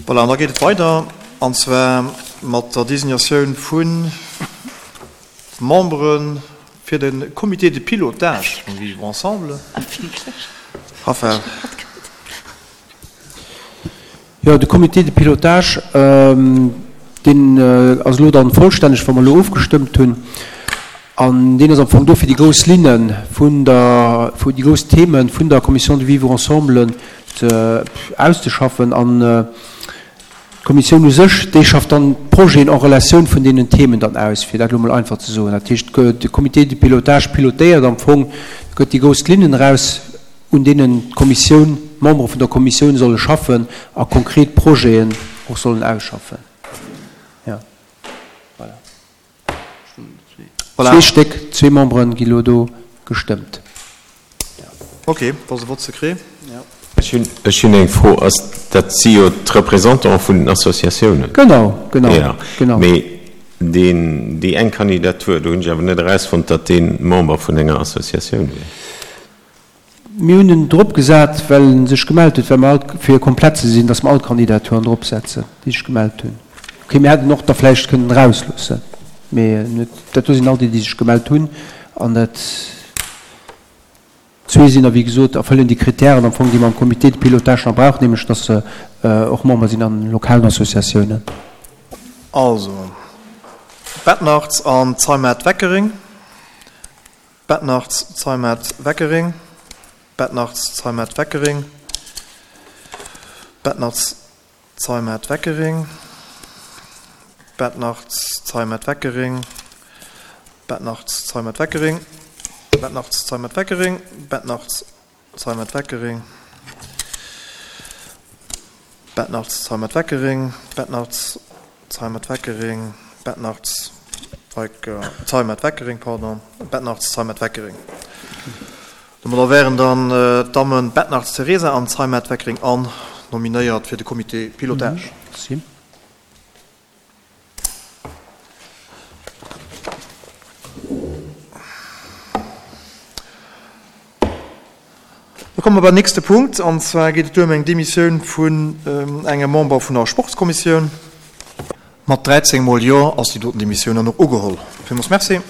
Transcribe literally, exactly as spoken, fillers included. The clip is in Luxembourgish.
Voilà, an da geet et weider, an zwar mat der Designatioun vu Membere fir de Comité de pilotage vum Vivre ensemble. Raphaël. Jo, de Comité de pilotage, deen ass elo dann vollstänneg, wa mer elo ofgestëmmt hunn. An deen ass am Fong do, fir déi grouss Linne vun der, déi grouss Themen vun der Commission du Vivre ensemble ze, auszeschaffen. An d'Kommissioun u sech, déi schafft dann d'Projeten en Relatioun vun deenen Themen dann aus, fir dat elo emol einfach ze soen. Dat heescht, de Comité de pilotage pilotéiert am Fong, gëtt déi grouss Linnen eraus, un deenen d'Kommissioun, d'Membere vun der Kommissioun solle schaffen a konkret Projeten och sollen ausschaffen. Jo, voilà. Voilà. Zwee Stéck, zwee Membere gi lo do gestëmmt. Ok, dat ass e Vote secret. Ech hunn, ech hunn eng Fro. Ass, dat si jo d'Représentante vun den Associatiounen. Genau, genau, Ja, genau. mee deen, déi eng Kandidatur, do hunn ech awer net erausfonnt, datt dee Member vun enger Associatioun wier. Mir hunn en drop gesat, well en sech gemellt huet, well mer all, fir komplett ze sinn, datt mer all d'Kandidaturen drop setzen, déi sech gemellt hunn. Ok, mir hätten och der vläicht kënnen erausloossen, mee en huet, dat do sinn all déi, déi sech gemellt hunn, an dat zwee sinn der, wéi gesot, erfëllen déi Kritären am Fong, déi mer am Comité de pilotage nach brauchen, nämlech datt se och Member sinn an lokalen Associatiounen. Also, Bettnarz an Zeimet-Weckering, Bettnarz, Zeimet-Weckering, Bettnarz, Zeimet-Weckering, Bettnarz, Zeimet-Weckering, Bettnarz, Zeimet-Weckering, Bettnarz, Zeimet-Weckering, Bettnarz, Zeimet-Weckering, Bettnarz, Zeimet-Weckering, Bettnarz, Zeimet-Weckering, Bettnarz, Zeimet-Weckering, Bettnarz, Zeimet-Weckering, pardon, Bettnarz, Zeimet-Weckering. Domadder wären dann d'Dammen Bettnarz Teresa an Zeimet-Weckering Anne nominéiert fir de Comité pilotage. Da komme mer beim nächste Punkt, an zwar geet et do ëm eng Demissioun vun engem Member vun der Sportskommissioun. Mat dräizéng mol Jo ass déi doten Demissioun dann och ugeholl. Villmools Merci.